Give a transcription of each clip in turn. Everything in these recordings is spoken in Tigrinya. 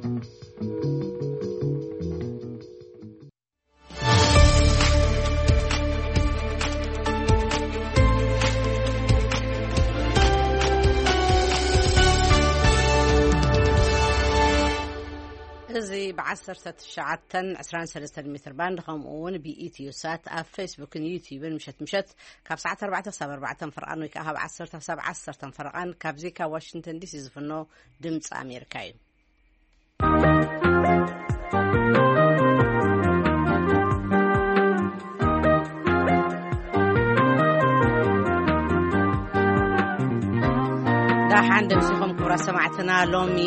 እዚ ብ19 ትሽዓተን ዕስራን ሰለስተን ሜትር ባንድ፣ ከምኡ እውን ብኢትዮ ሳት ኣብ ፌስቡክን ዩቲዩብን፣ ምሸት ምሸት ካብ ሰዓት ኣርባዕተ ክሳብ ኣርባዕተ ፈረቓን ወይ ከዓ ካብ ዓሰርተ ክሳብ ዓሰርተ ፈረቓን፣ ካብዚ ካብ ዋሽንግተን ዲሲ ዝፍኖ ድምፂ ኣሜሪካ እዩ። ዳሓን ደምሲኹም ክቡራት ሰማዕትና። ሎሚ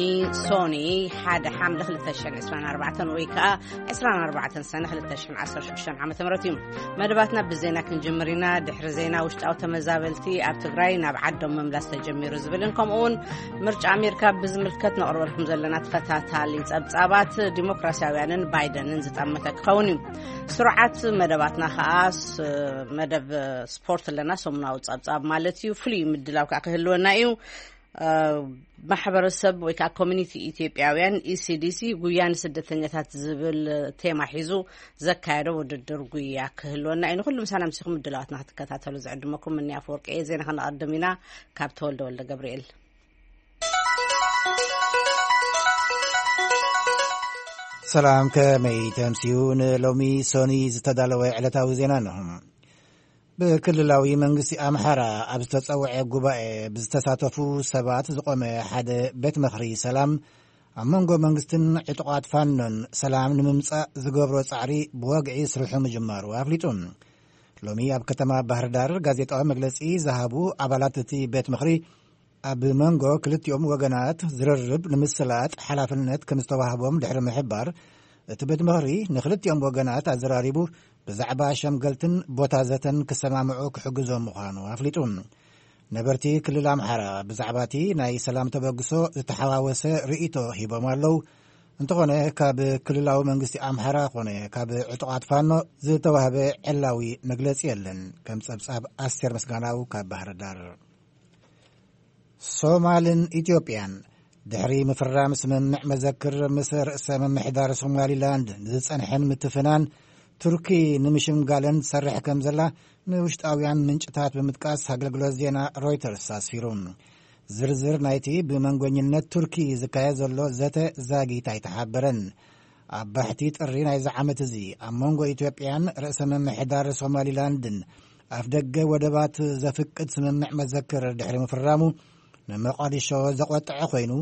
ሶኒ ሓደ ሓምለ ክልተ ሽሕን ዕስራን ኣርባዕተን ወይ ከዓ ዕስራን ኣርባዕተን ሰነ ክልተ ሽሕን ዓሰርተ ሽዱሽተን ዓመተ ምህረት እዩ። መደባትና ብዜና ክንጅምር ኢና። ድሕሪ ዜና፣ ውሽጣዊ ተመዛበልቲ ኣብ ትግራይ ናብ ዓዶም ምምላስ ተጀሚሩ ዝብልን ከምኡ እውን ምርጫ ኣሜሪካ ብዝምልከት ነቕርበልኩም ዘለና ተኸታታሊ ጸብጻባት፣ ዲሞክራሲያውያንን ባይደንን ዝጠመተ ክኸውን እዩ። ስሩዓት መደባትና ከኣ ስ-፣ መደብ ስፖርት ኣለና፣ ሰሙናዊ ጸብጻብ ማለት እዩ። ፍሉይ ምድላው ከኣ ክህልወና እዩ። እ፣ ማሕበረሰብ ወይ ከዓ ኮሚኒቲ ኢትዮጵያውያን፣ ኢሲዲሲ፣ ጉያ ንስደተኛታት ዝብል ቴማ ሒዙ ዘካየዶ ውድድር ጉያ ክህልወና እዩ። ንኹሉ ምሳና ምሲኹም ምድላዋትና ክትከታተሉ ዝዕድመኩም ምንያ ኣፈወርቂ እየ። ዜና ከነቐድም ኢና ካብ ተወልደ ወልደ ገብርኤል። ሰላም፣ ከመይ ተምስዩ? ንሎሚ ሶኒ ዝተዳለወ ዕለታዊ ዜና እንሆ። ብክልላዊ መንግስቲ ኣምሓራ ኣብ ዝተጸውዐ ጉባኤ ብዝተሳተፉ ሰባት ዝቖመ ሓደ ቤት ምኽሪ ሰላም፣ ኣብ መንጎ መንግስትን ዕጡቓት ፋኖን ሰላም ንምምጻእ ዝገብሮ ጻዕሪ ብወግዒ ስርሑ ምጅማሩ ኣፍሊጡ። ሎሚ ኣብ ከተማ ባህር ዳር ጋዜጣዊ መግለጺ ዝሃቡ ኣባላት እቲ ቤት ምኽሪ፣ ኣብ መንጎ ክልቲኦም ወገናት ዝርርብ ንምስላጥ ሓላፍነት ከም ዝተዋህቦም ድሕሪ ምሕባር፣ እቲ ቤት ምኽሪ ንክልቲኦም ወገናት ኣዘራሪቡ ብዛዕባ ሸምገልትን ቦታ ዘተን ክሰማምዑ ክሕግዞም ምዃኑ ኣፍሊጡ። ነበርቲ ክልል ኣምሓራ ብዛዕባ እቲ ናይ ሰላም ተበግሶ ዝተሓዋወሰ ርእይቶ ሂቦም ኣለዉ። እንተኾነ፣ ካብ ክልላዊ መንግስቲ ኣምሓራ ኮነ ካብ ዕጡቓት ፋኖ ዝተዋህበ ዕላዊ መግለጺ የለን። ከም ጸብጻብ ኣስቴር ምስጋናው ካብ ባህር ዳር። ሶማልን ኢትዮጵያን ድሕሪ ምፍራም ስምምዕ መዘክር ምስ ርእሰ ምምሕዳር ሶማሊላንድ ንዝጸንሐን ምትፍናን ቱርኪ ንምሽምጋለን ትሰርሕ ከም ዘላ ንውሽጣውያን ምንጭታት ብምጥቃስ ኣገልግሎት ዜና ሮይተርስ ኣስፊሩ። ዝርዝር ናይቲ ብመንጎኝነት ቱርኪ ዝካየድ ዘሎ ዘተ ዛጊት ኣይተሓበረን። ኣብ ባሕቲ ጥሪ ናይዚ ዓመት እዚ ኣብ መንጎ ኢትዮጵያን ርእሰ ምምሕዳር ሶማሊላንድን ኣፍ ደገ ወደባት ዘፍቅድ ስምምዕ መዘክር ድሕሪ ምፍራሙ፣ ንመቃዲሾ ዘቆጥዐ ኮይኑ፣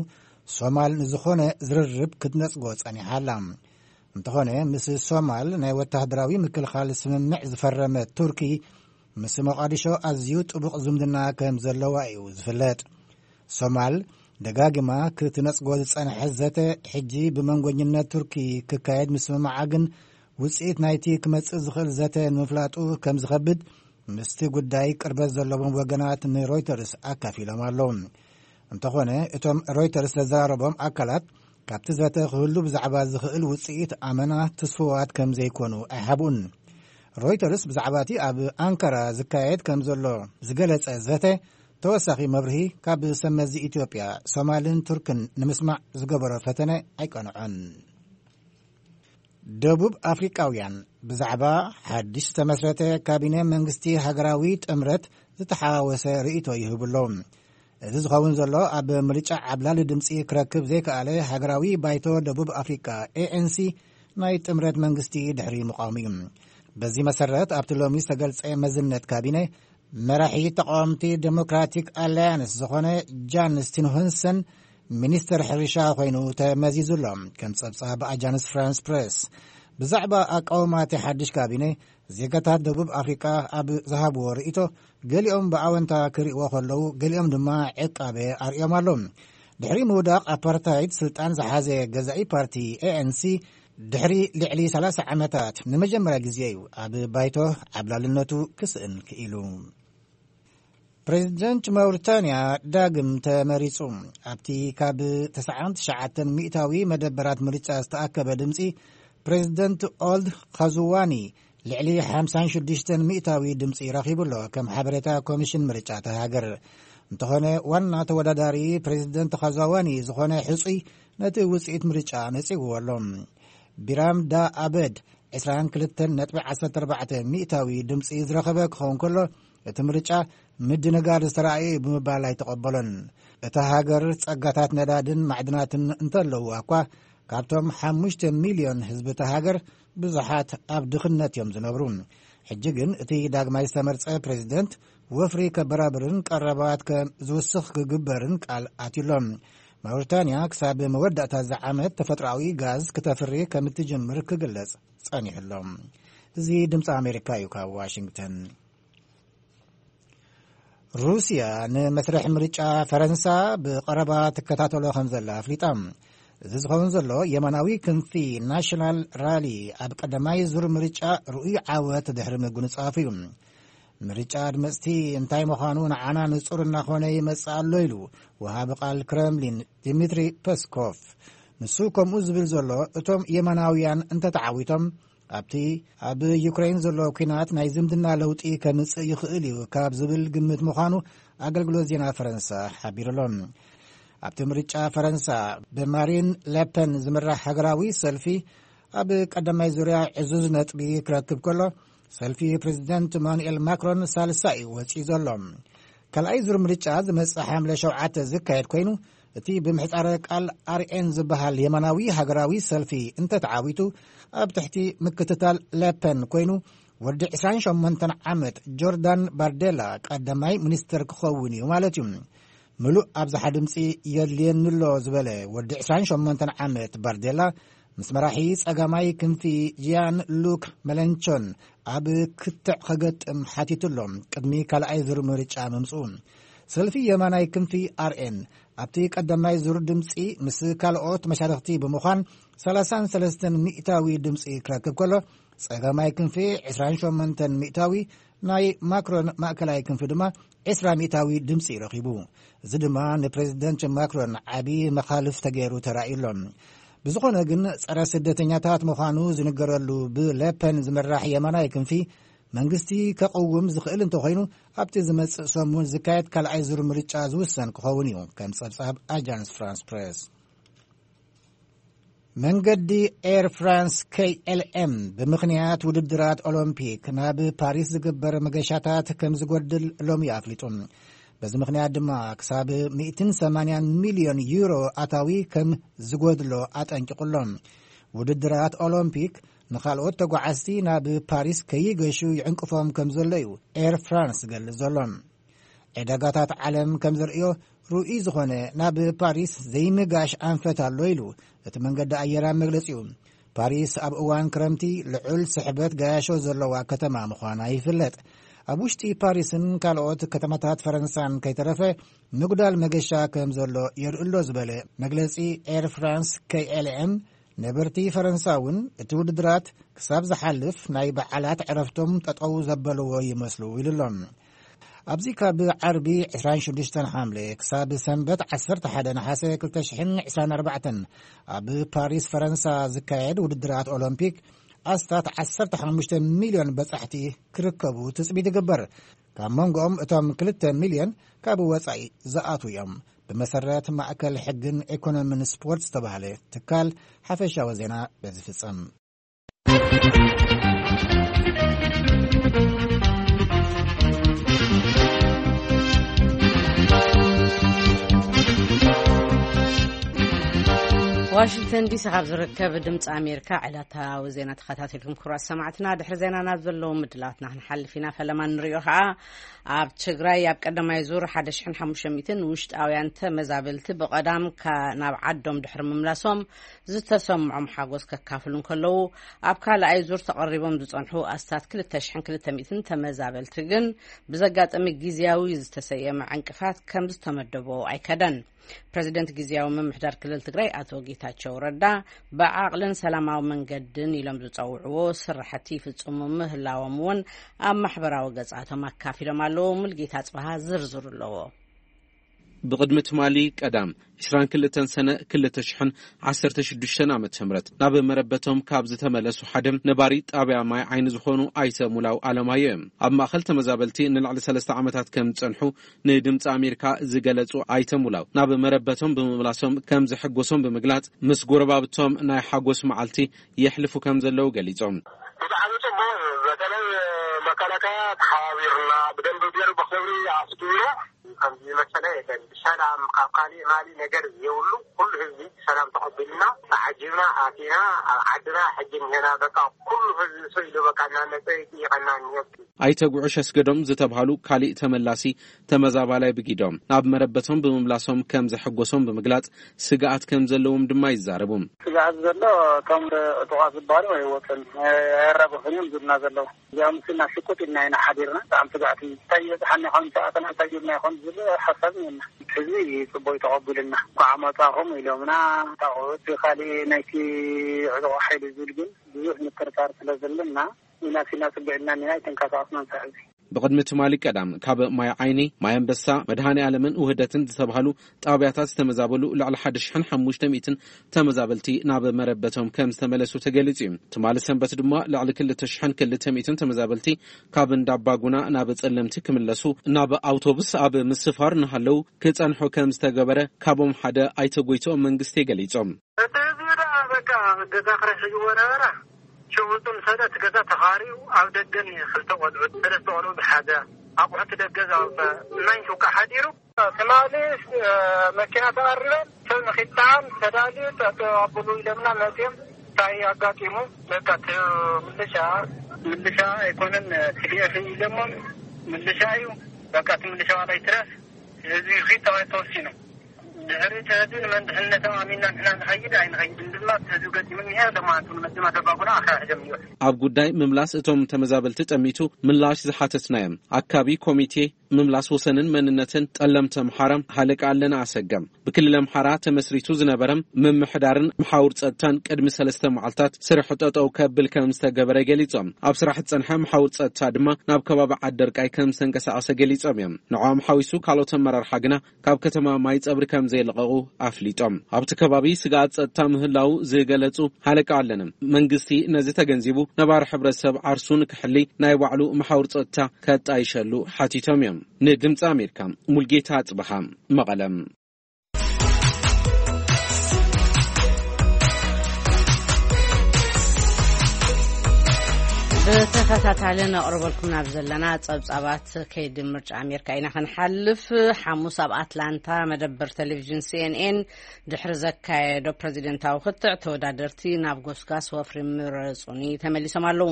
ሶማል ንዝኾነ ዝርርብ ክትነጽጎ ጸኒሓ ኣላ። እንተኾነ፣ ምስ ሶማል ናይ ወታደራዊ ምክልኻል ስምምዕ ዝፈረመት ቱርኪ፣ ምስ መቃዲሾ ኣዝዩ ጥቡቕ ዝምድና ከም ዘለዋ እዩ ዝፍለጥ። ሶማል ደጋጊማ ክትነጽጎ ዝጸንሐት ዘተ፣ ሕጂ ብመንጎኝነት ቱርኪ ክካየድ ምስምማዓ ግን፣ ውጽኢት ናይቲ ክመጽእ ዝኽእል ዘተ ንምፍላጡ ከም ዝኸብድ፣ ምስቲ ጉዳይ ቅርበት ዘለዎም ወገናት ንሮይተርስ ኣካፊሎም ኣለዉ። እንተኾነ፣ እቶም ሮይተርስ ዘዘራረቦም ኣካላት፣ ካብቲ ዘተ ክህሉ ብዛዕባ ዝኽእል ውጽኢት ኣመና ትስፉዋት ከም ዘይኮኑ ኣይሓብኡን። ሮይተርስ ብዛዕባ እቲ ኣብ ኣንካራ ዝካየድ ከም ዘሎ ዝገለጸ ዘተ፣ ተወሳኺ መብርሂ ካብ ሰመዚ ኢትዮጵያ፣ ሶማልን ቱርክን ንምስማዕ ዝገበሮ ፈተነ ኣይቀንዖን። ደቡብ ኣፍሪቃውያን ብዛዕባ ሓድሽ ዝተመስረተ ካቢነ መንግስቲ ሃገራዊ ጥምረት ዝተሓዋወሰ ርእይቶ ይህቡ ኣለዉ። እዚ ዝኸውን ዘሎ፣ ኣብ ምርጫ ዓብላሊ ድምፂ ክረክብ ዘይከኣለ ሃገራዊ ባይቶ ደቡብ ኣፍሪቃ፣ ኤኤንሲ፣ ናይ ጥምረት መንግስቲ ድሕሪ ምቋሙ እዩ። በዚ መሰረት፣ ኣብቲ ሎሚ ዝተገልጸ መዝነት ካቢነ፣ መራሒ ተቃወምቲ ዴሞክራቲክ ኣላያንስ ዝኾነ ጃን ስቲንሆንሰን ሚኒስተር ሕርሻ ኮይኑ ተመዚዙ ኣሎ። ከም ጸብጻብ ኣጃንስ ፍራንስ ፕሬስ፣ ብዛዕባ ኣቃውማ እቲ ሓድሽ ካቢነ፣ ዜጋታት ደቡብ ኣፍሪቃ ኣብ ዝሃብዎ ርእይቶ፣ ገሊኦም ብኣወንታ ክርእይዎ ከለዉ፣ ገሊኦም ድማ ዕቃበ ኣርእዮም ኣለዉ። ድሕሪ ምውዳቕ ኣፓርታይድ ስልጣን ዝሓዘ ገዛኢ ፓርቲ ኤኤንሲ፣ ድሕሪ ልዕሊ ሰላሳ ዓመታት ንመጀመርያ ግዜ እዩ ኣብ ባይቶ ዓብላልነቱ ክስእን ክኢሉ። ፕሬዚደንት ማውሪታንያ ዳግም ተመሪጹ። ኣብቲ ካብ ተስዓን ትሽዓተን ሚእታዊ መደበራት ምርጫ ዝተኣከበ ድምጺ፣ ፕሬዚደንት ኦልድ ኻዙዋኒ ልዕሊ ሓምሳን ሽዱሽተን ሚእታዊ ድምጺ ረኺቡ ኣሎ፣ ከም ሓበሬታ ኮሚሽን ምርጫ እታ ሃገር። እንተኾነ፣ ዋና ተወዳዳሪ ፕሬዚደንት ኻዙዋኒ ዝኾነ ሕጹይ ነቲ ውጽኢት ምርጫ ነጺግዎ ኣሎ። ቢራም ዳ ኣበድ ዕስራን ክልተን ነጥቢ ዓሰርተ ኣርባዕተ ሚእታዊ ድምጺ ዝረኸበ ክኸውን ከሎ፣ እቲ ምርጫ ምድንጋር ዝተራእየ እዩ ብምባል ኣይተቐበሎን። እታ ሃገር ጸጋታት ነዳድን ማዕድናትን እንተለውዋ እኳ፣ ካብቶም ሓሙሽተ ሚልዮን ህዝቢ እታ ሃገር ብዙሓት ኣብ ድኽነት እዮም ዝነብሩ። ሕጂ ግን እቲ ዳግማይ ዝተመርጸ ፕሬዚደንት ወፍሪ ከበራብርን ቀረባት ከም ዝውስኽ ክግበርን ቃል ኣትዩሎም። ማውሪታንያ ክሳብ መወዳእታ እዚ ዓመት ተፈጥሮኣዊ ጋዝ ክተፍሪ ከም እትጅምር ክግለጽ ጸኒሑሎም። እዚ ድምፂ ኣሜሪካ እዩ። ካብ ዋሽንግተን። ሩስያ ንመስርሕ ምርጫ ፈረንሳ ብቐረባ ትከታተሎ ከም ዘላ ኣፍሊጣ። እዚ ዝኸውን ዘሎ የማናዊ ክንፊ ናሽናል ራሊ ኣብ ቀዳማይ ዙር ምርጫ ርኡይ ዓወት ድሕሪ ምጉንጻፉ እዩ። ምርጫ ኣድመጽቲ እንታይ ምዃኑ ንዓና ንጹር እናኾነ ይመጽእ ኣሎ ኢሉ ወሃቢ ቃል ክረምሊን ዲሚትሪ ፐስኮቭ። ንሱ ከምኡ ዝብል ዘሎ እቶም የማናውያን እንተተዓዊቶም ኣብቲ ኣብ ዩክሬን ዘሎ ኲናት ናይ ዝምድና ለውጢ ከምጽእ ይኽእል እዩ ካብ ዝብል ግምት ምዃኑ ኣገልግሎት ዜና ፈረንሳ ሓቢሩ ኣሎ። ኣብቲ ምርጫ ፈረንሳ ብማሪን ለፐን ዝምራሕ ሃገራዊ ሰልፊ ኣብ ቀዳማይ ዙርያ ዕዙዝ ነጥቢ ክረክብ ከሎ፣ ሰልፊ ፕሬዚደንት ኢማኑኤል ማክሮን ሳልሳይ እዩ ወጺኡ ዘሎ። ካልኣይ ዙር ምርጫ ዝመጽእ ሓምለ ሸውዓተ ዝካየድ ኮይኑ፣ እቲ ብምሕጻረ ቃል ኣርኤን ዝበሃል የማናዊ ሃገራዊ ሰልፊ እንተተዓዊቱ፣ ኣብ ትሕቲ ምክትታል ለፐን ኮይኑ፣ ወዲ ዕስራን ሸሞንተን ዓመት ጆርዳን ባርዴላ ቀዳማይ ሚኒስተር ክኸውን እዩ ማለት እዩ። ምሉእ ኣብዝሓ ድምፂ የድልየኒ ኣሎ ዝበለ ወዲ ዕስራን ሸሞንተን ዓመት ባርዴላ፣ ምስ መራሒ ጸጋማይ ክንፊ ጂያን ሉክ መለንቾን ኣብ ክትዕ ከገጥም ሓቲቱ ኣሎ፣ ቅድሚ ካልኣይ ዙር ምርጫ ምምፅኡ። ሰልፊ የማናይ ክንፊ ኣርኤን ኣብቲ ቀዳማይ ዙር ድምፂ ምስ ካልኦት መሻርኽቲ ብምዃን ሰላሳን ሰለስተን ሚእታዊ ድምፂ ክረክብ ከሎ፣ ጸጋማይ ክንፊ ዕስራን ሸሞንተን ሚእታዊ፣ ናይ ማክሮን ማእከላይ ክንፊ ድማ ዕስራ ሚእታዊ ድምፂ ረኺቡ። እዚ ድማ ንፕሬዚደንት ማክሮን ዓቢ መኻልፍ ተገይሩ ተራእዩ ኣሎ። ብዝኾነ ግን፣ ጸረ ስደተኛታት ምዃኑ ዝንገረሉ ብለፐን ዝምራሕ የማናይ ክንፊ መንግስቲ ከቕውም ዝኽእል እንተኾይኑ፣ ኣብቲ ዝመጽእ ሰሙን ዝካየድ ካልኣይ ዙር ምርጫ ዝውሰን ክኸውን እዩ፣ ከም ጸብጻብ ኣጃንስ ፍራንስ ፕሬስ። መንገዲ ኤር ፍራንስ ኬ ኤል ኤም ብምኽንያት ውድድራት ኦሎምፒክ ናብ ፓሪስ ዝግበር መገሻታት ከም ዝጎድል ሎሚ ኣፍሊጡ። በዚ ምኽንያት ድማ ክሳብ ሚእትን ሰማንያን ሚልዮን ዩሮ ኣታዊ ከም ዝጎድሎ ኣጠንቂቑ ኣሎ። ውድድራት ኦሎምፒክ ንኻልኦት ተጓዓዝቲ ናብ ፓሪስ ከይገሹ ይዕንቅፎም ከም ዘሎ እዩ ኤር ፍራንስ ዝገልጽ ዘሎ። ዕዳጋታት ዓለም ከም ዘርእዮ፣ ርኡይ ዝኾነ ናብ ፓሪስ ዘይምጋሽ ኣንፈት ኣሎ ኢሉ እቲ መንገዲ ኣየር ኣብ መግለጺኡ። ፓሪስ ኣብ እዋን ክረምቲ ልዑል ስሕበት ገያሾ ዘለዋ ከተማ ምዃና ይፍለጥ። ኣብ ውሽጢ ፓሪስን ካልኦት ከተማታት ፈረንሳን ከይተረፈ ምጉዳል መገሻ ከም ዘሎ የርእሎ ዝበለ መግለጺ ኤር ፍራንስ ኬ ኤል ኤም፣ ነበርቲ ፈረንሳ እውን እቲ ውድድራት ክሳብ ዝሓልፍ ናይ በዓላት ዕረፍቶም ጠጠው ዘበልዎ ይመስሉ ኢሉ ኣሎ። ኣብዚ ካብ ዓርቢ ዕስራን ሽዱሽተን ሓምለ ክሳብ ሰንበት ዓሰርተ ሓደ ነሓሰ ክልተ ሽሕን ዕስራን ኣርባዕተን ኣብ ፓሪስ ፈረንሳ ዝካየድ ውድድራት ኦሎምፒክ ኣስታት ዓሰርተ ሓሙሽተ ሚልዮን በጻሕቲ ክርከቡ ትጽቢት ይግበር። ካብ መንጎኦም እቶም ክልተ ሚልዮን ካብ ወጻኢ ዝኣትዉ እዮም። ብመሰረት ማእከል ሕግን ኢኮኖምን ስፖርት ዝተባህለ ትካል፣ ሓፈሻዊ ዜና በዚ ፍጸም። ዋሽንግተን ዲሲ ካብ ዝርከብ ድምፂ ኣሜሪካ ዕለታዊ ዜና ተኸታተልኩም ክቡራት ሰማዕትና። ድሕሪ ዜና ናብ ዘለዉ ምድላትና ክንሓልፍ ኢና። ፈለማ ንሪኦ ከዓ ኣብ ትግራይ ኣብ ቀዳማይ ዙር ሓደ ሽሕን ሓሙሽተ ሚእትን ውሽጣውያን ተመዛበልቲ ብቐዳም ካ-፣ ናብ ዓዶም ድሕሪ ምምላሶም ዝተሰምዖም ሓጎስ ከካፍሉ እንከለዉ፣ ኣብ ካልኣይ ዙር ተቐሪቦም ዝጸንሑ ኣስታት ክልተ ሽሕን ክልተ ሚእትን ተመዛበልቲ ግን ብዘጋጠመ ግዝያዊ ዝተሰየመ ዕንቅፋት ከም ዝተመደቦ ኣይከደን። ፕረዚደንት ግዝያዊ ምምሕዳር ክልል ትግራይ ኣቶ ጌታቸው ረዳ ብዓቕልን ሰላማዊ መንገድን ኢሎም ዝጸውዕዎ ስራሕቲ ይፍጽሙ ምህላዎም እውን ኣብ ማሕበራዊ ገጻቶም ኣካፊሎም ኣለዉ። ሙልጌታ ጽባሃ ዝርዝሩ ኣለዎ። ብቕድሚ ትማሊ ቀዳም ዕስራን ክልተን ሰነ ክልተ ሽሕን ዓሰርተ ሽዱሽተን ዓመተ ምህረት ናብ መረበቶም ካብ ዝተመለሱ ሓደ ነባሪ ጣብያ ማይ ዓይኒ ዝኾኑ ኣይተ ሙላው ኣለማዮ እዮም። ኣብ ማእኸል ተመዛበልቲ ንልዕሊ ሰለስተ ዓመታት ከም ዝጸንሑ ንድምፂ ኣሜሪካ ዝገለጹ ኣይተ ሙላው፣ ናብ መረበቶም ብምምላሶም ከም ዘሐጎሶም ብምግላጽ፣ ምስ ጎረባብቶም ናይ ሓጎስ መዓልቲ የሕልፉ ከም ዘለዉ ገሊጾም። ብጣዕሚ ጽቡቅ እዩ። በተለይ መከላከያ ተሓባቢርና ብደንብ ገይሩ ብክብሪ ኣስጊሩ። ከምዚ መሰለ የለን። ብሰላም ካብ ካሊእ ማሊ ነገር የብሉ። ኩሉ ህዝቢ ብሰላም ተቐቢልና ተዓጂብና ኣቲና ኣብ ዓድና ሕጂ እንሄና። በቃ ኩሉ ህዝቢ ሰው ኢሉ በቃ እናመፀ ይጥይቀና እንሄ። ኣይተ ጉዑሽ ኣስገዶም ዝተብሃሉ ካሊእ ተመላሲ ተመዛባላይ ብጊዶም ናብ መረበቶም ብምምላሶም ከም ዘሐጎሶም ብምግላጽ፣ ስግኣት ከም ዘለዎም ድማ ይዛረቡ። ስግኣት ዘሎ እቶም ዕጡቓት ዝበሃሉ ኣይወፁን፣ ኣይራገፉን እዮም ዝብሉና ዘለዉ። እዚኦም ምስና ሽቁጥ ኢልና ኢና ሓዲርና። ብጣዕሚ ስግኣት እዩ። እንታይ ይበፅሓና ይኾን፣ ሰኣተና እንታይ ይብልና ይኾን ዝብል ሓሳብ እኒአና። ህዝቢ እዩ ፅቡቅ ተቐቢሉና። እንኳዕ መፃኹም ኢሎምና። ታቑ እቲ ካሊእ ናይቲ ዕጡቕ ሓይሊ ዝብል ግን ብዙሕ ምጥርጣር ስለ ዘለና ኢና ሲና ፅግዕና እኒና ኣይተንቀሳቐስናን። ሳዕ እዚ ብቕድሚ ትማሊ ቀዳም ካብ ማይ ዓይኒ፣ ማይ ኣንበሳ፣ መድሃኔ ዓለምን ውህደትን ዝተባህሉ ጣብያታት ዝተመዛበሉ ልዕሊ ሓደ ሽሕን ሓሙሽተ ሚእትን ተመዛበልቲ ናብ መረበቶም ከም ዝተመለሱ ተገሊጹ እዩ። ትማሊ ሰንበት ድማ ልዕሊ ክልተ ሽሕን ክልተ ሚእትን ተመዛበልቲ ካብ እንዳባጉና ናብ ጸለምቲ ክምለሱ ናብ ኣውቶቡስ ኣብ ምስፋር እናሃለዉ ክጸንሑ ከም ዝተገበረ ካብኦም ሓደ ኣይተ ጎይትኦም መንግስቴ ገሊጾም። እቲ ህዝቢ ደኣ በቃ ገዛ ክራይ ሒዝዎ ነበረ። ሽውጡ ምስ ሄደ እቲ ገዛ ተኻርዩ ኣብ ደገን ክልተ ቆልዑት፣ ሰለስተ ቆልዑ ዝሓዘ ኣቑሑት ደገ ዘውፀ እናይ ሽውቃ ሓዲሩ። ትማሊ መኪና ተቐርበን ሰብ ንኺጣን ተዳልዩ ጠጠው ኣብሉ ኢሎምና መፅዮም። እንታይ ኣጋጢሙ? በቃ እቲ ምልሻ፣ ምልሻ ኣይኮነን፣ ቲ ዲ ኤፍ ኢሎሞም። ምልሻ እዩ። በቃ እቲ ምልሻ ዋላ ይትረፍ ህዝቢ ኺድ ተባሂሉ ተወሲኑ። ድሕሪ እቲ ህዝቢ ንመን ድሕንነቶም ኣሚንና ንሕና ንኸይድ ኣይንኸይድን ድማ እቲ ህዝቢ ገጢሙ እኒሀ። ሎማዓንቲ እውን መጺኦም ኣደባጉና ኣኽራይ ሒዞም እኒኦ። ኣብ ጉዳይ ምምላስ እቶም ተመዛበልቲ ጠሚቱ ምላሽ ዝሓተትናዮም ኣካቢ ኮሚቴ ምምላስ ወሰንን መንነትን ጠለምቲ ኣምሓራ ሃለቃ ኣለና ኣሰገም፣ ብክልል ኣምሓራ ተመስሪቱ ዝነበረ ምምሕዳርን መሓውር ጸጥታን ቅድሚ ሰለስተ መዓልታት ስርሑ ጠጠው ከብል ከም ዝተገበረ ገሊጾም። ኣብ ስራሕ ዝጸንሐ መሓውር ጸጥታ ድማ ናብ ከባቢ ዓደርቃይ ከም ዝተንቀሳቐሰ ገሊጾም እዮም። ንዕኦም ሓዊሱ ካልኦት ኣመራርሓ ግና ካብ ከተማ ማይ ጸብሪ ከም ዘይለቐቑ ኣፍሊጦም። ኣብቲ ከባቢ ስግኣት ጸጥታ ምህላው ዝገለጹ ሃለቃ ኣለነ፣ መንግስቲ ነዚ ተገንዚቡ ነባሪ ሕብረተሰብ ዓርሱ ንክሕሊ ናይ ባዕሉ መሓውር ጸጥታ ከጣይሸሉ ሓቲቶም እዮም። ንድምፂ ኣሜሪካ ሙልጌታ ኣጽበሃ መቐለም። ብተኸታታሊ ነቕርበልኩም ናብ ዘለና ጸብጻባት ከይዲ ምርጫ ኣሜሪካ ኢና ክንሓልፍ። ሓሙስ ኣብ ኣትላንታ መደበር ቴሌቪዥን ሲ ኤን ኤን ድሕሪ ዘካየዶ ፕሬዚደንታዊ ክትዕ፣ ተወዳደርቲ ናብ ጎስጋስ ወፍሪ ምረጹኒ ተመሊሶም ኣለዉ።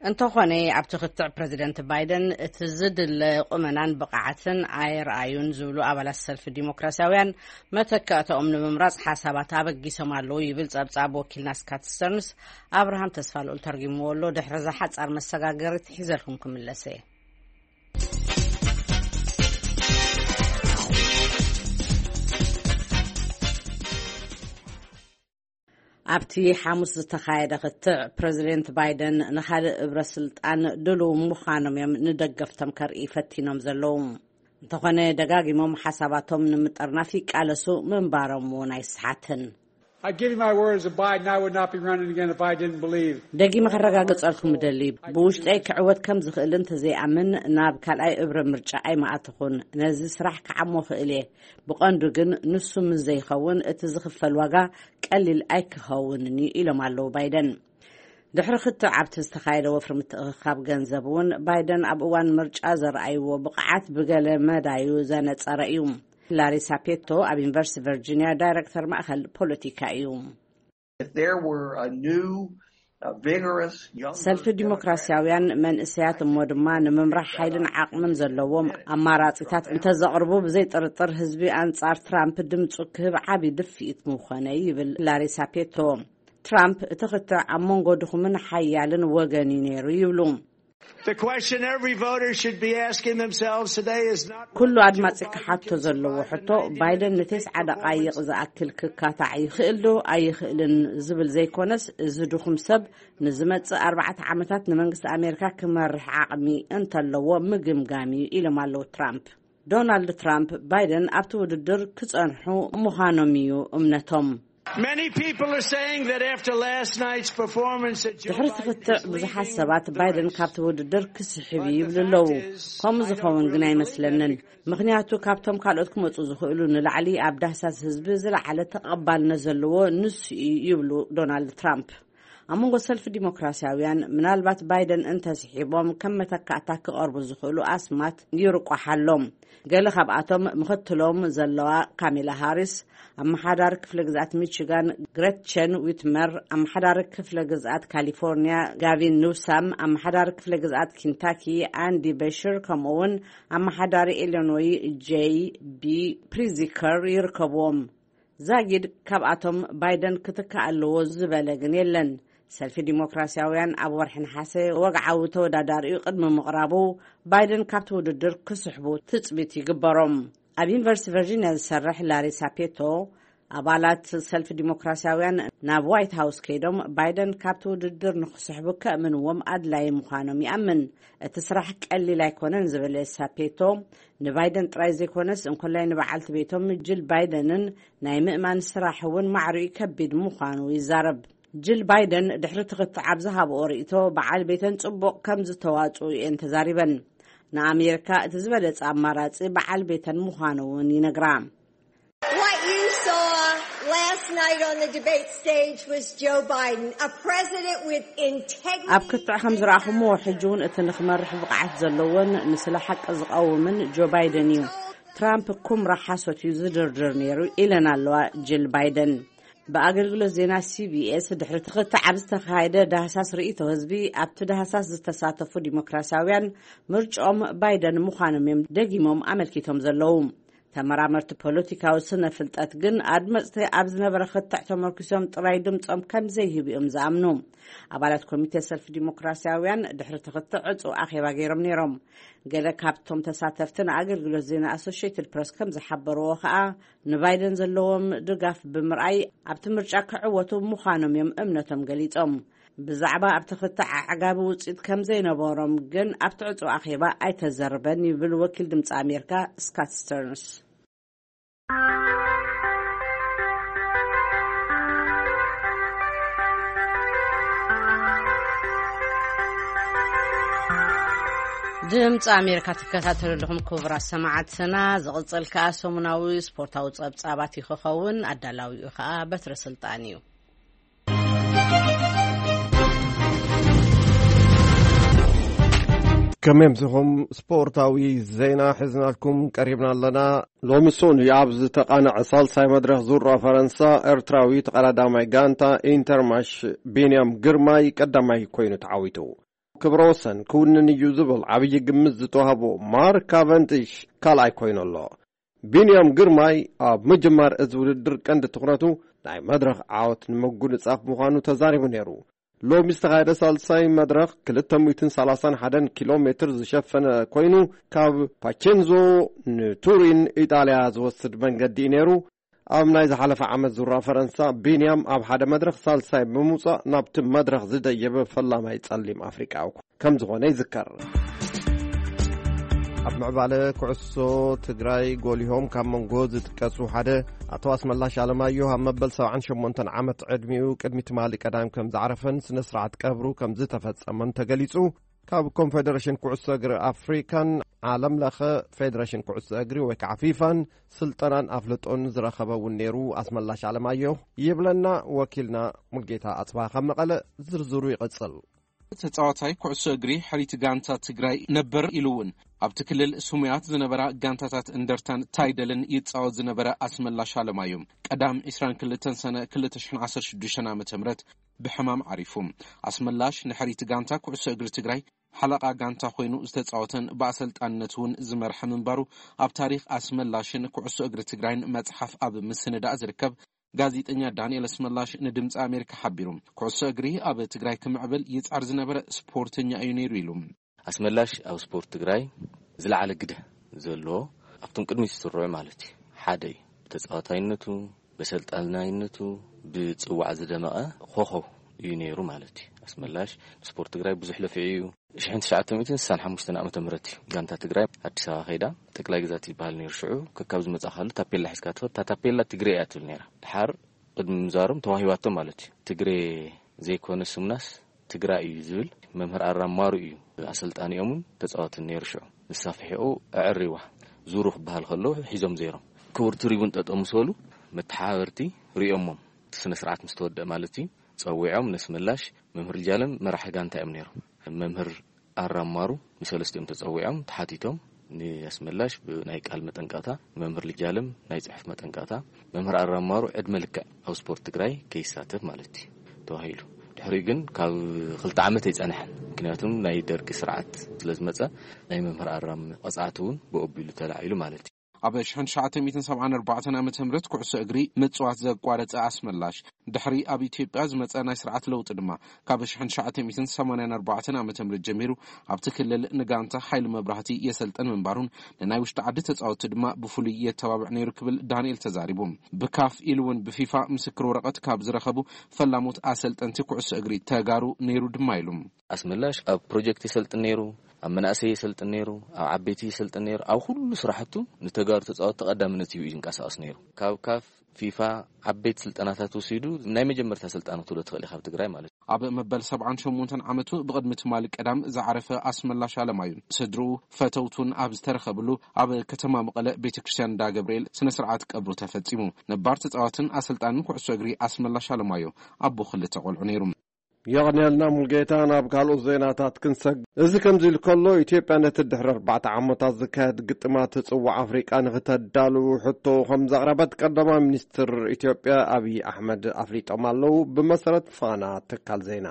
እንተኾነ፣ ኣብቲ ክትዕ ፕሬዚደንት ባይደን እቲ ዝድለ ቁመናን ብቕዓትን ኣየርኣዩን ዝብሉ ኣባላት ሰልፊ ዲሞክራሲያውያን፣ መተካእታኦም ንምምራጽ ሓሳባት ኣበጊሶም ኣለዉ ይብል ጸብጻብ ወኪልና ስካት ስተርንስ። ኣብርሃም ተስፋ ልኡል ተርጊምዎ ኣሎ። ድሕሪ እዛ ሓጻር መሰጋገሪት ሒዘልኩም ክምለስ እየ። ኣብቲ ሓሙስ ዝተኻየደ ክትዕ፣ ፕረዚደንት ባይደን ንኻልእ እብረ ስልጣን ድሉው ምዃኖም እዮም ንደገፍቶም ከርኢ ፈቲኖም ዘለዉ። እንተኾነ፣ ደጋጊሞም ሓሳባቶም ንምጥርናፍ ይቃለሱ ምንባሮም እውን ኣይስሓትን። I give you my word as a Biden, I would not be running again if I didn't believe. ደጊመ ከረጋግጸልኩም እደሊ፣ ብውሽጠይ ክዕወት ከም ዝኽእል እንተዘይኣምን ናብ ካልኣይ እብረ ምርጫ ኣይምኣተኹን። ነዚ ስራሕ ክዓሞ ክእል እየ። ብቐንዱ ግን ንሱ ምስ ዘይኸውን እቲ ዝኽፈል ዋጋ ቀሊል ኣይክኸውንን እዩ ኢሎም ኣለዉ ባይደን። ድሕሪ ክትዕ ኣብቲ ዝተኻየደ ወፍሪ ምትእኽኻብ ገንዘብ እውን ባይደን ኣብ እዋን ምርጫ ዘርኣይዎ ብቕዓት ብገለ መዳዩ ዘነጸረ እዩ። ላሪሳ ፔቶ ኣብ ዩኒቨርሲቲ ቨርጂኒያ ዳይረክተር ማእኸል ፖለቲካ እዩ። If there were a new, uh, vigorous, younger ሰልፊ ዲሞክራሲያውያን መንእሰያት እሞ ድማ ንምምራሕ ሓይልን ዓቕምን ዘለዎም ኣማራጺታት እንተዘቕርቡ፣ ብዘይ ጥርጥር ህዝቢ ኣንጻር ትራምፕ ድምጹ ክህብ ዓቢ ድፍኢት ምኾነ፣ ይብል ላሪሳ ፔቶ። ትራምፕ እቲ ክትዕ ኣብ መንጎ ድኹምን ሓያልን ወገን እዩ ነይሩ ይብሉ። The question every voter should be asking themselves today is not ኩሉ ኣድማጺ ክሓቶ ዘለዎ ሕቶ፣ ባይደን ንተስዓ ደቓይቕ ዝኣክል ክካታዕ ይኽእል ዶ ኣይኽእልን ዝብል ዘይኮነስ፣ እዚ ድኹም ሰብ ንዝመጽእ ኣርባዕተ ዓመታት ንመንግስቲ ኣሜሪካ ክመርሕ ዓቕሚ እንተለዎ ምግምጋም እዩ ኢሎም ኣለዉ ትራምፕ። ዶናልድ ትራምፕ ባይደን ኣብቲ ውድድር ክጸንሑ ምዃኖም እዩ እምነቶም። Many people are saying that after last night's performance, that Joe ድሕሪ Biden ትኽትዕ is ብዙሓት leaving ሰባት the ባይደን race. ካብቲ ውድድር ክስሕብ እዩ ይብሉ ኣለዉ። ከምኡ ዝኸውን ግን ኣይመስለንን። ምኽንያቱ ካብቶም ካልኦት ክመጹ ዝኽእሉ ንላዕሊ ኣብ ዳህሳስ ህዝቢ ዝለዓለ ተቐባልነት ዘለዎ ንሱ እዩ ይብሉ ዶናልድ ትራምፕ። ኣብ መንጎ ሰልፊ ዲሞክራሲያውያን ምናልባት ባይደን እንተስሒቦም ከም መተካእታ ክቐርቡ ዝኽእሉ ኣስማት ይርቋሕ ኣሎ። ገለ ካብኣቶም ምኽትሎም ዘለዋ ካሜላ ሃሪስ፣ ኣመሓዳሪ ክፍለ ግዝኣት ሚቺጋን ግረትቸን ዊትመር፣ ኣመሓዳሪ ክፍለ ግዝኣት ካሊፎርኒያ ጋቪን ኒውሳም፣ ኣመሓዳሪ ክፍለ ግዝኣት ኪንታኪ ኣንዲ በሽር፣ ከምኡ እውን ኣመሓዳሪ ኢሊኖይ ጄይ ቢ ፕሪዚከር ይርከብዎም። ዛጊድ ካብኣቶም ባይደን ክትካእ ኣለዎ ዝበለ ግን የለን። ሰልፊ ዲሞክራሲያውያን ኣብ ወርሒ ነሓሰ ወግዓዊ ተወዳዳሪኡ ቅድሚ ምቕራቡ ባይደን ካብቲ ውድድር ክስሕቡ ትጽቢት ይግበሮም። ኣብ ዩኒቨርሲቲ ቨርጂኒያ ዝሰርሕ ላሪ ሳፔቶ፣ ኣባላት ሰልፊ ዲሞክራሲያውያን ናብ ዋይት ሃውስ ከይዶም ባይደን ካብቲ ውድድር ንክስሕቡ ከእምንዎም ኣድላዪ ምዃኖም ይኣምን። እቲ ስራሕ ቀሊል ኣይኮነን ዝበለ ሳፔቶ፣ ንባይደን ጥራይ ዘይኮነስ እንኮላይ ንበዓልቲ ቤቶም ጅል ባይደንን ናይ ምእማን ስራሕ እውን ማዕሪኡ ከቢድ ምዃኑ ይዛረብ። ጅል ባይደን ድሕሪ ትኽትዕ ኣብ ዝሃብኦ ርእይቶ፣ በዓል ቤተን ጽቡቕ ከም ዝተዋጽኡ እየን ተዛሪበን። ንኣሜሪካ እቲ ዝበለጸ ኣማራጺ በዓል ቤተን ምዃኑ እውን ይነግራ። What you saw last night on the debate stage was Joe Biden, a president with integrity. ኣብ ክትዕ ከም ዝረኣኹምዎ፣ ሕጂ እውን እቲ ንክመርሕ ብቕዓት ዘለዎን ንስለ ሓቂ ዝቐውምን ጆ ባይደን እዩ። ትራምፕ ኩምራ ሓሶት እዩ ዝድርድር ነይሩ ኢለን ኣለዋ ጅል ባይደን። ብኣገልግሎት ዜና ሲቢኤስ ድሕሪ ትኽትዕ ኣብ ዝተኻየደ ዳህሳስ ርእይቶ ህዝቢ፣ ኣብቲ ዳህሳስ ዝተሳተፉ ዲሞክራሲያውያን ምርጫኦም ባይደን ምዃኖም እዮም ደጊሞም ኣመልኪቶም ዘለዉ። ተመራመርቲ ፖለቲካዊ ስነ ፍልጠት ግን ኣድመፅቲ ኣብ ዝነበረ ክትዕ ተመርኪሶም ጥራይ ድምፆም ከም ዘይህቡ እዮም ዝኣምኑ። ኣባላት ኮሚቴ ሰልፊ ዲሞክራሲያውያን ድሕሪ ትኽትዕ ዕፁ ኣኼባ ገይሮም ነይሮም። ገለ ካብቶም ተሳተፍቲ ንኣገልግሎት ዜና ኣሶሽየትድ ፕረስ ከም ዝሓበርዎ ከኣ፣ ንባይደን ዘለዎም ድጋፍ ብምርኣይ ኣብቲ ምርጫ ክዕወቱ ምዃኖም እዮም እምነቶም ገሊጾም። ብዛዕባ ኣብቲ ክትዕ ኣዕጋቢ ውጽኢት ከም ዘይነበሮም ግን ኣብቲ ዕጹ ኣኼባ ኣይተዘርበን ይብል ወኪል ድምጺ ኣሜሪካ ስካት ስተርንስ። ድምፂ ኣሜሪካ ትከታተሉ ኣለኹም ክቡራት ሰማዕትና። ዝቕፅል ከኣ ሰሙናዊ ስፖርታዊ ጸብጻባት እዩ ክኸውን። ኣዳላዊኡ ከኣ በትረ ስልጣን እዩ። ከመይ ኣምሲኹም? ስፖርታዊ ዜና ሒዝናልኩም ቀሪብና ኣለና። ሎሚ ሰኑይ ኣብ ዝተቓነዐ ሳልሳይ መድረኽ ዙራ ፈረንሳ፣ ኤርትራዊ ተቐዳዳማይ ጋንታ ኢንተርማሽ ቢንያም ግርማይ ቀዳማይ ኮይኑ ተዓዊቱ። ክብረ ወሰን ክውንን እዩ ዝብል ዓብዪ ግምት ዝተዋህቦ ማርክ ካቨንዲሽ ካልኣይ ኮይኑ ኣሎ። ቢንያም ግርማይ ኣብ ምጅማር እዚ ውድድር ቀንዲ ትኹረቱ ናይ መድረኽ ዓወት ንምጉንጻፍ ምዃኑ ተዛሪቡ ነይሩ። ሎሚ ዝተኻየደ ሳልሳይ መድረኽ ክልተ ሚእትን ሰላሳን ሓደን ኪሎ ሜትር ዝሸፈነ ኮይኑ፣ ካብ ፓቼንዞ ንቱሪን ኢጣልያ ዝወስድ መንገዲ እዩ ነይሩ። ኣብ ናይ ዝሓለፈ ዓመት ዙራ ፈረንሳ፣ ቢንያም ኣብ ሓደ መድረኽ ሳልሳይ ብምውጻእ ናብቲ መድረኽ ዝደየበ ፈላማይ ጸሊም ኣፍሪቃዊ ከም ዝኾነ ይዝከር። ኣብ ምዕባለ ኩዕሶ ትግራይ ጎሊሆም ካብ መንጎ ዝጥቀሱ ሓደ ኣቶ ኣስመላሽ ኣለማየሁ፣ ኣብ መበል ሰብዓን ሸሞንተን ዓመት ዕድሚኡ ቅድሚ ትማሊ ቀዳም ከም ዝዓረፈን ስነ ስርዓት ቀብሩ ከም ዝተፈጸመን ተገሊጹ። ካብ ኮንፌደሬሽን ኩዕሶ እግሪ ኣፍሪካን ዓለም ለኸ ፌደሬሽን ኩዕሶ እግሪ ወይ ከዓ ፊፋን ስልጠናን ኣፍልጦን ዝረኸበ እውን ነይሩ ኣስመላሽ ኣለማየሁ ይብለና ወኪልና ሙልጌታ ኣጽባ ካብ መቐለ። ዝርዝሩ ይቕጽል። ተጻዋታይ ኩዕሶ እግሪ ሕሪት ጋንታ ትግራይ ነበር ኢሉ እውን ኣብቲ ክልል ስሙያት ዝነበራ ጋንታታት እንደርታን ታይደልን ይጻወት ዝነበረ ኣስመላሽ ኣለማየሁ ቀዳም ዒስራን ክልተን ሰነ ክልተ ሽሕን ዓሰርተ ሽዱሽተን ዓመተ ምህረት ብሕማም ዓሪፉ። ኣስመላሽ ንሕሪት ጋንታ ኩዕሶ እግሪ ትግራይ ሓለቓ ጋንታ ኮይኑ ዝተጻወተን ብኣሰልጣንነት እውን ዝመርሐ ምንባሩ ኣብ ታሪኽ ኣስመላሽን ኩዕሶ እግሪ ትግራይን መጽሓፍ ኣብ ምስንዳእ ዝርከብ ጋዜጠኛ ዳንኤል ኣስመላሽ ንድምፂ ኣሜሪካ ሓቢሩ። ኩዕሶ እግሪ ኣብ ትግራይ ክምዕብል ይጻር ዝነበረ ስፖርተኛ እዩ ነይሩ ኢሉ። ኣስመላሽ ኣብ ስፖርት ትግራይ ዝለዓለ ግደ ዘለዎ፣ ኣብቶም ቅድሚት ዝስርዑ ማለት እዩ፣ ሓደ እዩ። ብተጻዋታይነቱ፣ በሰልጣናይነቱ፣ ብጽዋዕ ዝደመቐ ኮኸብ እዩ ነይሩ ማለት እዩ። ኣስመላሽ ንስፖርት ትግራይ ብዙሕ ለፊዑ እዩ። ሽሕን ትሽዓተ ሚእትን ስሳን ሓሙሽተን ዓመተ ምህረት እዩ ጋንታ ትግራይ ኣዲስ ኣበባ ከይዳ፣ ጠቅላይ ግዛት ይበሃል ነይሩ ሽዑ። ከካብ ዝመጻ ካሉ ታፔላ ሒዝካ ትኸድ፣ እታ ታፔላ ትግሬ እያ ትብል ነይራ። ድሓር ቅድሚ ምዛሮም ተዋሂባቶም ማለት እዩ። ትግሬ ዘይኮነ ስሙናስ ትግራይ እዩ ዝብል። መምህር ኣራም ማሩ እዩ ኣሰልጣኒኦምን ተጻወትን ነይሩ ሽዑ። ንሳ ፍሒቑ ኣዕሪዋ። ዙሩ ክበሃል ከሎ ሒዞም ዘይሮም። ክቡር ትሪቡን ጠጠው ምስ በሉ መተሓባበርቲ ሪኦሞም። እቲ ስነ ስርዓት ምስ ተወደአ ማለት እዩ፣ ጸዊዖም ነስመላሽ መምህር ልጃለም መራሒ ጋንታ እዮም ነይሮም። መምህር ኣራም ማሩ ንሰለስቲኦም ተጸዊዖም ተሓቲቶም፣ ንኣስመላሽ ብናይ ቃል መጠንቀቕታ፣ መምህር ልጃለም ናይ ጽሑፍ መጠንቀቕታ፣ መምህር ኣራም ማሩ ዕድመ ልክዕ ኣብ ስፖርት ትግራይ ከይሳተፍ ማለት እዩ ተባሂሉ። ድሕሪኡ ግን ካብ ክልተ ዓመት ኣይጸንሐን። ምክንያቱም ናይ ደርጊ ስርዓት ስለ ዝመጸ፣ ናይ መምህር ኣራም ቐጻዕቲ እውን ብኦቢሉ ተላዒሉ ማለት እዩ። ኣብ ሽሕን ትሽዓተ ሚእትን ሰብዓን ኣርባዕተን ዓመተ ምህረት ኩዕሶ እግሪ ምጽዋት ዘቋረጸ ኣስመላሽ፣ ድሕሪ ኣብ ኢትዮጵያ ዝመጸ ናይ ስርዓት ለውጢ ድማ፣ ካብ ሽሕን ትሽዓተ ሚእትን ሰማንያን ኣርባዕተን ዓመተ ምህረት ጀሚሩ ኣብቲ ክልል ንጋንታ ሓይሊ መብራህቲ የሰልጥን ምንባሩን ንናይ ውሽጢ ዓዲ ተጻወትቲ ድማ ብፍሉይ የተባብዕ ነይሩ ክብል ዳንኤል ተዛሪቡ። ብካፍ ኢሉ እውን ብፊፋ ምስክር ወረቐት ካብ ዝረኸቡ ፈላሞት ኣሰልጠንቲ ኩዕሶ እግሪ ተጋሩ ነይሩ ድማ ኢሉ። ኣስመላሽ ኣብ ፕሮጀክት የሰልጥን ነይሩ፣ ኣብ መናእሰይ የሰልጥን ነይሩ፣ ኣብ ዓበይቲ የሰልጥን ነይሩ። ኣብ ኩሉ ስራሕቱ ንተጋሩ ተጻወትቲ ቀዳምነት ሂቡ እዩ ዝንቀሳቐስ ነይሩ። ካብ ካፍ፣ ፊፋ ዓበይቲ ስልጠናታት ወሲዱ ናይ መጀመርታ ስልጣን ክትብሎ ትኽእል ኢኻ ኣብ ትግራይ ማለት እዩ። ኣብ መበል ሰብዓን ሸሞንተን ዓመቱ ብቕድሚ ትማሊ ቀዳም ዝዓረፈ ኣስመላሽ ኣለማዩ፣ ስድርኡ፣ ፈተውቱን ኣብ ዝተረኸብሉ ኣብ ከተማ መቐለ ቤተ ክርስቲያን እንዳ ገብርኤል ስነ ስርዓት ቀብሩ ተፈጺሙ። ነባር ተጻዋትን ኣሰልጣንን ኩዕሶ እግሪ ኣስመላሽ ኣለማዮ ኣቦ ክልተ ቆልዑ ነይሩ። የቕንየልና ሙልጌታ። ናብ ካልኦት ዜናታት ክንሰግ፣ እዚ ከምዚ ኢሉ ከሎ፣ ኢትዮጵያ ነቲ ድሕሪ ኣርባዕተ ዓመታት ዝካየድ ግጥማት ጽዋዕ ኣፍሪቃ ንክተዳሉ ሕቶ ከም ዘቕረበት ቀዳማይ ሚኒስትር ኢትዮጵያ ኣብይ ኣሕመድ ኣፍሊጦም ኣለዉ። ብመሰረት ፋና ትካል ዜና።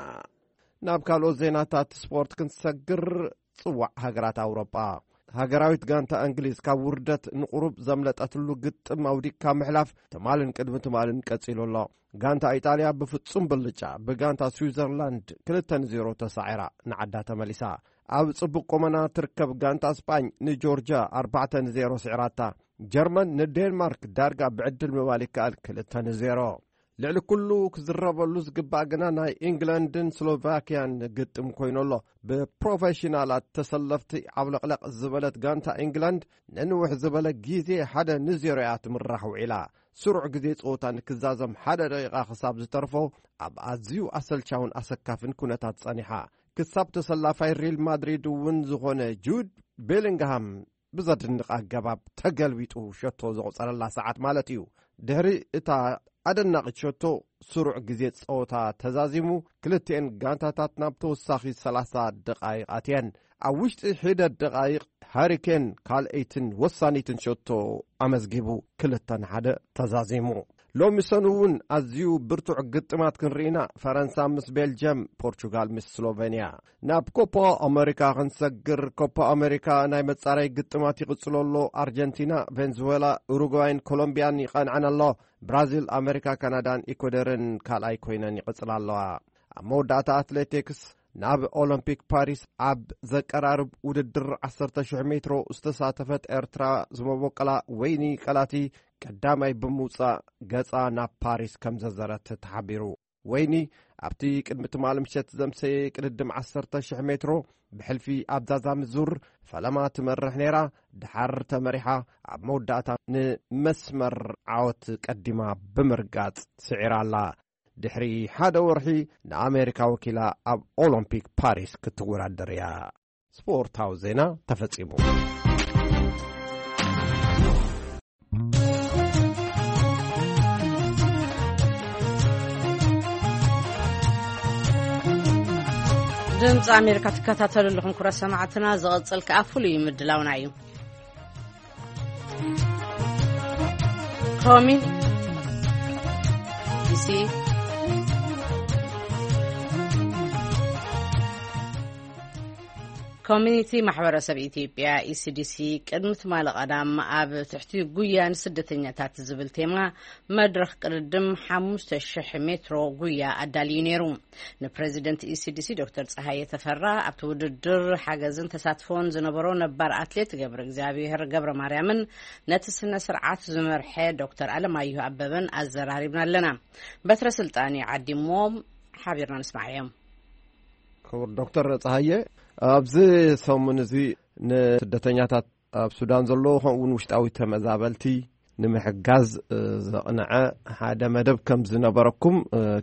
ናብ ካልኦት ዜናታት ስፖርት ክንሰግር፣ ጽዋዕ ሃገራት ኣውሮጳ። ሃገራዊት ጋንታ እንግሊዝ ካብ ውርደት ንቁሩብ ዘምለጠትሉ ግጥም ኣውዲቅካ ምሕላፍ ትማልን ቅድሚ ትማልን ቀጺሉ ኣሎ። ጋንታ ኢጣልያ ብፍጹም ብልጫ ብጋንታ ስዊዘርላንድ ክልተ ንዜሮ ተሳዒራ ንዓዳ ተመሊሳ። ኣብ ጽቡቕ ቁመና ትርከብ ጋንታ ስጳኝ ንጆርጅያ ኣርባዕተ ንዜሮ ስዒራታ። ጀርመን ንዴንማርክ ዳርጋ ብዕድል ምባል ይከኣል ክልተ ንዜሮ። ልዕሊ ኩሉ ክዝረበሉ ዝግባእ ግና ናይ ኢንግላንድን ስሎቫኪያን ግጥም ኮይኑ ኣሎ። ብፕሮፌሽናላት ተሰለፍቲ ዓብለቕለቕ ዝበለት ጋንታ ኢንግላንድ ንንውሕ ዝበለ ግዜ ሓደ ንዜሮ እያ ትምራሕ ውዒላ። ስሩዕ ግዜ ጸወታ ንክዛዘም ሓደ ደቂቓ ክሳብ ዝተርፎ ኣብ ኣዝዩ ኣሰልቻውን ኣሰካፍን ኩነታት ጸኒሓ። ክሳብ ተሰላፋይ ሪል ማድሪድ እውን ዝኾነ ጁድ ቤሊንግሃም ብዘድንቕ ኣገባብ ተገልቢጡ ሸቶ ዘቑጸረላ ሰዓት ማለት እዩ። ድሕሪ እታ ኣደናቒት ሸቶ ስሩዕ ግዜ ጸወታ ተዛዚሙ፣ ክልቲኤን ጋንታታት ናብ ተወሳኺ ሰላሳ ደቓይቕ ኣትየን። ኣብ ውሽጢ ሒደት ደቓይቕ ሃሪኬን ካልኣይትን ወሳኒትን ሸቶ ኣመዝጊቡ፣ ክልተ ንሓደ ተዛዚሙ። ሎሚ ሰኑ እውን ኣዝዩ ብርቱዕ ግጥማት ክንርኢና፣ ፈረንሳ ምስ ቤልጅየም፣ ፖርቹጋል ምስ ስሎቬንያ። ናብ ኮፓ ኣመሪካ ክንሰግር፣ ኮፓ ኣመሪካ ናይ መጻረይ ግጥማት ይቕጽሎ ኣሎ። ኣርጀንቲና፣ ቬንዙዌላ፣ ኡሩጓይን ኮሎምቢያን ይቐንዐን ኣሎ። ብራዚል፣ ኣመሪካ፣ ካናዳን ኢኳዶርን ካልኣይ ኮይነን ይቕጽላ ኣለዋ። ኣብ መወዳእታ ኣትሌቲክስ፣ ናብ ኦሎምፒክ ፓሪስ ኣብ ዘቀራርብ ውድድር ዓሰርተ ሽሕ ሜትሮ ዝተሳተፈት ኤርትራ ዝመበቆላ ወይኒ ቀላቲ ቀዳማይ ብምውጻእ ገጻ ናብ ፓሪስ ከም ዘዘረት ተሓቢሩ። ወይኒ ኣብቲ ቅድሚ ትማሊ ምሸት ዘምሰየ ቅድድም ዓሰርተ ሽሕ ሜትሮ ብሕልፊ ኣብ ዛዛሚ ዙር ፈለማ ትመርሕ ነይራ። ድሓር ተመሪሓ ኣብ መወዳእታ ንመስመር ዓወት ቀዲማ ብምርጋጽ ስዒራ ኣላ። ድሕሪ ሓደ ወርሒ ንኣሜሪካ ወኪላ ኣብ ኦሎምፒክ ፓሪስ ክትወዳደር እያ። ስፖርታዊ ዜና ተፈጺሙ። ድምፂ ኣሜሪካ ትከታተሉ ኣለኹም ክቡራት ሰማዕትና። ዝቐፅል ከዓ ፍሉይ ምድላውና እዩ። ኮሚን ዲሲ ኮሚኒቲ ማሕበረሰብ ኢትዮጵያ፣ ኢሲዲሲ፣ ቅድሚ ትማሊ ቀዳም ኣብ ትሕቲ ጉያ ንስደተኛታት ዝብል ቴማ መድረኽ ቅድድም ሓሙሽተ ሽሕ ሜትሮ ጉያ ኣዳልዩ ነይሩ። ንፕሬዚደንት ኢሲዲሲ ዶክተር ፀሃየ ተፈራ፣ ኣብቲ ውድድር ሓገዝን ተሳትፎን ዝነበሮ ነባር ኣትሌት ገብረ እግዚኣብሔር ገብረ ማርያምን ነቲ ስነ ስርዓት ዝመርሐ ዶክተር ኣለማየሁ ኣበበን ኣዘራሪብና ኣለና። በትረ ስልጣን ይዓዲሞም ሓቢርና ንስማዕ እዮም። ክቡር ዶክተር ፀሃየ፣ ኣብዚ ሰሙን እዚ ንስደተኛታት ኣብ ሱዳን ዘለዉ ከምኡ እውን ውሽጣዊ ተመዛበልቲ ንምሕጋዝ ዘቕንዐ ሓደ መደብ ከም ዝነበረኩም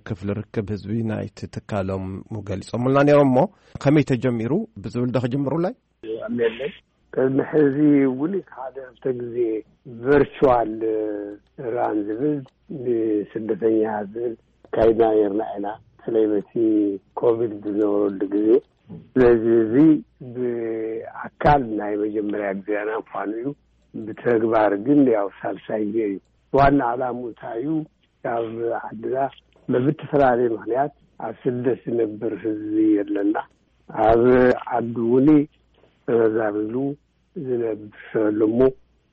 ክፍሊ ርክብ ህዝቢ ናይቲ ትካሎም ገሊፆምልና ነይሮም። እሞ ከመይ ተጀሚሩ ብዝብል ዶ ክጅምሩላይ? ኣሜለይ ቅድሚ ሕዚ እውን ሓደ ክልተ ግዜ ቨርቹዋል ራን ዝብል ንስደተኛ ዝብል ካይድና ነርና ኢና፣ በተለይ በቲ ኮቪድ ዝነበረሉ ግዜ። ስለዚ እዚ ብኣካል ናይ መጀመርያ ግዜና ምኳኑ እዩ። ብተግባር ግን ያው ሳልሳይ ግዜ እዩ። ዋና ዕላሙ እንታይ እዩ? ካብ ዓድና በብተፈላለየ ምክንያት ኣብ ስደት ዝነብር ህዝቢ ኣለና። ኣብ ዓዲ እውን ተመዛቢሉ ዝነብር ኣሎ እሞ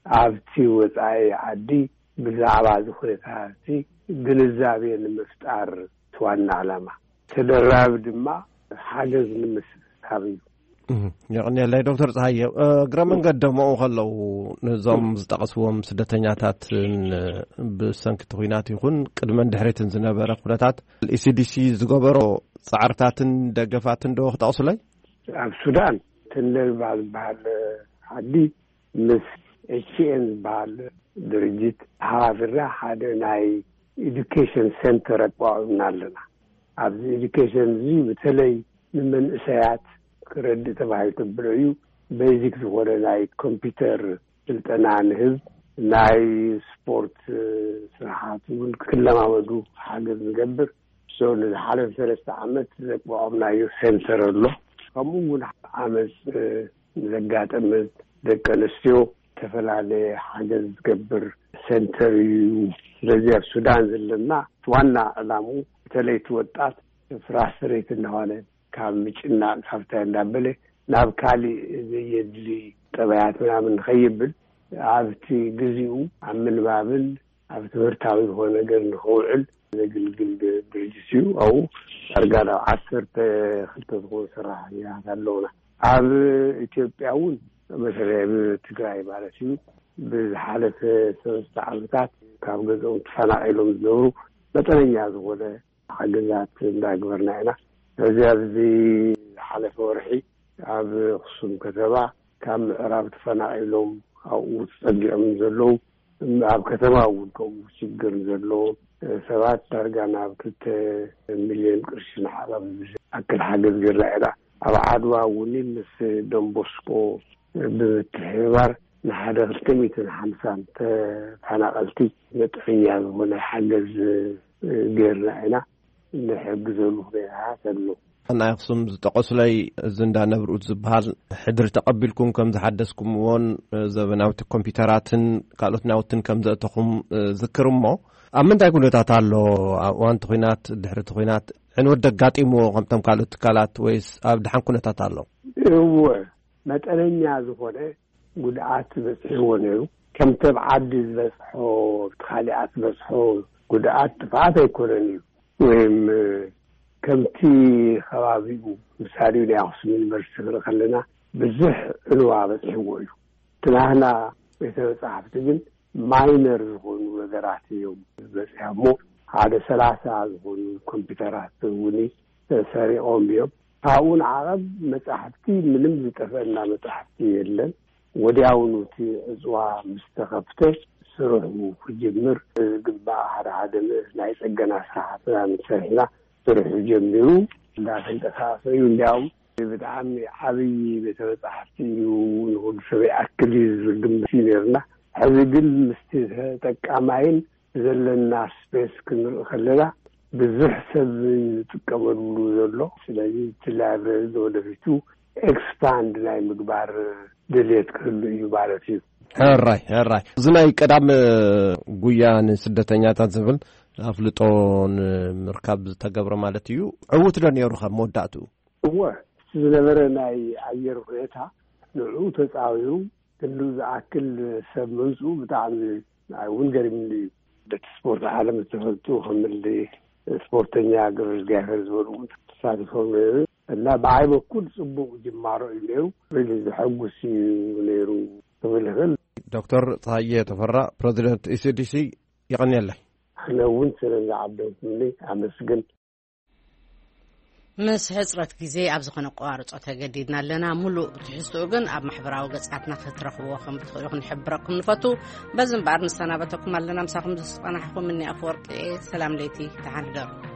ኣብቲ ወፃኢ ዓዲ ብዛዕባ እዚ ኩነታት እዚ ግንዛቤ ንምፍጣር እቲ ዋና ዕላማ። ተደራቢ ድማ ሓገዝ ንምስሳብ እዩ። የቕንየለይ ዶክተር ፀሃየ። እግረ መንገድ ደሞኡ ከለዉ ነዞም ዝጠቐስዎም ስደተኛታትን ብሰንኪ እቲ ኩናት ይኹን ቅድመን ድሕሪትን ዝነበረ ኩነታት ኢሲዲሲ ዝገበሮ ፃዕርታትን ደገፋትን ዶ ክጠቕሱለይ? ኣብ ሱዳን ተንደግባ ዝበሃል ዓዲ ምስ ኤችኤን ዝበሃል ድርጅት ተሓባቢርና ሓደ ናይ ኤዱኬሽን ሴንተር ኣቋቋምና ኣለና። ኣብዚ ኤዱኬሽን እዚ በተለይ ንመንእሰያት ክረድእ ተባሂሉ ተብሎ እዩ። ቤዚክ ዝኾነ ናይ ኮምፒውተር ስልጠና ንህብ፣ ናይ ስፖርት ስራሓት እውን ክለማመዱ ሓገዝ ንገብር። ንዝሓለፈ ሰለስተ ዓመት ዘቋቋምናዮ ሴንተር ኣሎ። ከምኡ እውን ዓመፅ ዘጋጠመ ደቂ ኣንስትዮ ዝተፈላለየ ሓገዝ ዝገብር ሴንተር እዩ። ስለዚ ኣብ ሱዳን ዘለና ዋና ዕላሙ በተለይ እቲ ወጣት ፍራስትሬት እናኾነ ካብ ምጭናቕ ካብታ እንዳበለ ናብ ካሊእ ዘየድሊ ጠባያት ምናምን ንኸይብል ኣብቲ ግዚኡ ኣብ ምንባብን ኣብ ትምህርታዊ ዝኾነ ነገር ንኽውዕል ዘግልግል ድርጅት እዩ። ኣብኡ ዳርጋ ናብ ዓሰርተ ክልተ ዝኾኑ ሰራሕተኛታት ኣለውና። ኣብ ኢትዮጵያ እውን በተለይ ኣብ ትግራይ ማለት እዩ ብዝሓለፈ ሰለስተ ዓመታት ካብ ገዝኦም ተፈናቒሎም ዝነብሩ መጠነኛ ዝኾነ ሓገዛት እንዳግበርና ኢና። እዚ ኣብዚ ዝሓለፈ ወርሒ ኣብ ኣኽሱም ከተማ ካብ ምዕራብ ተፈናቒሎም ኣብኡ ተፀጊዖም ዘለዉ ኣብ ከተማ እውን ከምኡ ሽግር ዘለዎም ሰባት ዳርጋ ናብ ክልተ ሚልዮን ቅርሺ ንሓቐብ ኣክል ሓገዝ ገርና ኢና። ኣብ ዓድዋ እውን ምስ ደንቦስኮ ብምትሕብባር ንሓደ ክልተ ሚእትን ሓምሳን ተፈናቐልቲ መጠነኛ ዝኾነ ሓገዝ ገርና ኢና። ንሕግዘሉ ኩነታት ኣሎ። ናይ ኣኽሱም ዝጠቐሱለይ እዚ እንዳ ነብርኡት ዝበሃል ሕድሪ ተቐቢልኩም ከም ዝሓደስኩምዎን ዘበናውቲ ኮምፒውተራትን ካልኦት ናውትን ከም ዘእተኹም ዝክር እሞ ኣብ ምንታይ ኩነታት ኣሎ? ኣብ እዋንቲ ኩናት ድሕሪ እቲ ኩናት ዕንወት ደጋጢምዎ ከምቶም ካልኦት ትካላት ወይስ ኣብ ድሓን ኩነታት ኣሎ? እወ መጠነኛ ዝኾነ ጉድኣት በፂሕዎ ነይሩ። ከምቲ ኣብ ዓዲ ዝበፅሖ ኣብቲ ካሊኣት ዝበፅሖ ጉድኣት ጥፍኣት ኣይኮነን እዩ። ወይም ከምቲ ከባቢኡ ምሳሌ ናይ ኣክሱም ዩኒቨርሲቲ ክርኢ ከለና ብዙሕ ዕንዋ በፂሕዎ እዩ። ትናህና ቤተ መፅሓፍቲ ግን ማይነር ዝኾኑ ነገራት እዮም ዝበፅሖሞ። ሓደ ሰላሳ ዝኾኑ ኮምፒውተራት እውን ተሰሪቖም እዮም። ካብኡ ንዓቐብ መፃሕፍቲ ምንም ዝጠፈአና መፃሕፍቲ የለን። ወዲያውኑ እቲ ዕፅዋ ምስ ተኸፍተ ስርሑ ክጅምር ዝግባእ ሓደ ሓደ ናይ ፅገና ስራሕትና ምስ ሰሪሕና ስርሑ ጀሚሩ እንዳተንቀሳቐሰ እዩ። እንዲያውም ብጣዕሚ ዓብዪ ቤተ መፃሕፍቲ እዩ ንኹሉ ሰብ ይኣክል እዩ ዝብል ግምት እዩ ነይርና። ሕዚ ግን ምስቲ ተጠቃማይን ዘለና ስፔስ ክንርኢ ከለና ብዙሕ ሰብ ዝጥቀመሉ ዘሎ። ስለዚ እቲ ላይብረሪ ንወደፊቱ ኤክስፓንድ ናይ ምግባር ድልየት ክህሉ እዩ ማለት እዩ። ሕራይ ሕራይ እዚ ናይ ቀዳም ጉያ ንስደተኛታት ዝብል ኣፍልጦ ንምርካብ ዝተገብረ ማለት እዩ። ዕውት ዶ ነይሩ ካብ መወዳእትኡ? እወ እቲ ዝነበረ ናይ ኣየር ሁኔታ ንዕኡ ተፃዊሩ ክንዱ ዝኣክል ሰብ ምምፅኡ ብጣዕሚ ንዓይ እውን ገሪምኒ እዩ። በቲ ስፖርት ዓለም ዝተፈልጡ ከምሊ ስፖርተኛ ገብረ እግዚኣብሔር ዝበሉ እውን ተሳቲፎም ነይሩ እና ብዓይ በኩል ፅቡቅ ጅማሮ እዩ ነይሩ። ሪሊ ዘሐጉስ እዩ ነይሩ ክብል ይኽእል። ዶክተር ፀሃየ ተፈራ ፕረዚደንት ኢሲዲሲ ይቐንየለይ። ኣነ እውን ስለዚ ዓደምኩምኒ ኣመስግን። ምስ ሕጽረት ግዜ ኣብ ዝኾነ ኣቋርጾ ተገዲድና ኣለና። ምሉእ ትሕዝትኡ ግን ኣብ ማሕበራዊ ገጻትና ክትረኽብዎ ከም ትኽእሉ ክንሕብረኩም ንፈቱ። በዚ እምበኣር ንሰናበተኩም ኣለና። ምሳኹም ዝጸናሕኩም እኒ ኣፈወርቂ እየ። ሰላም ለይቲ፣ ደሓን ሕደሩ።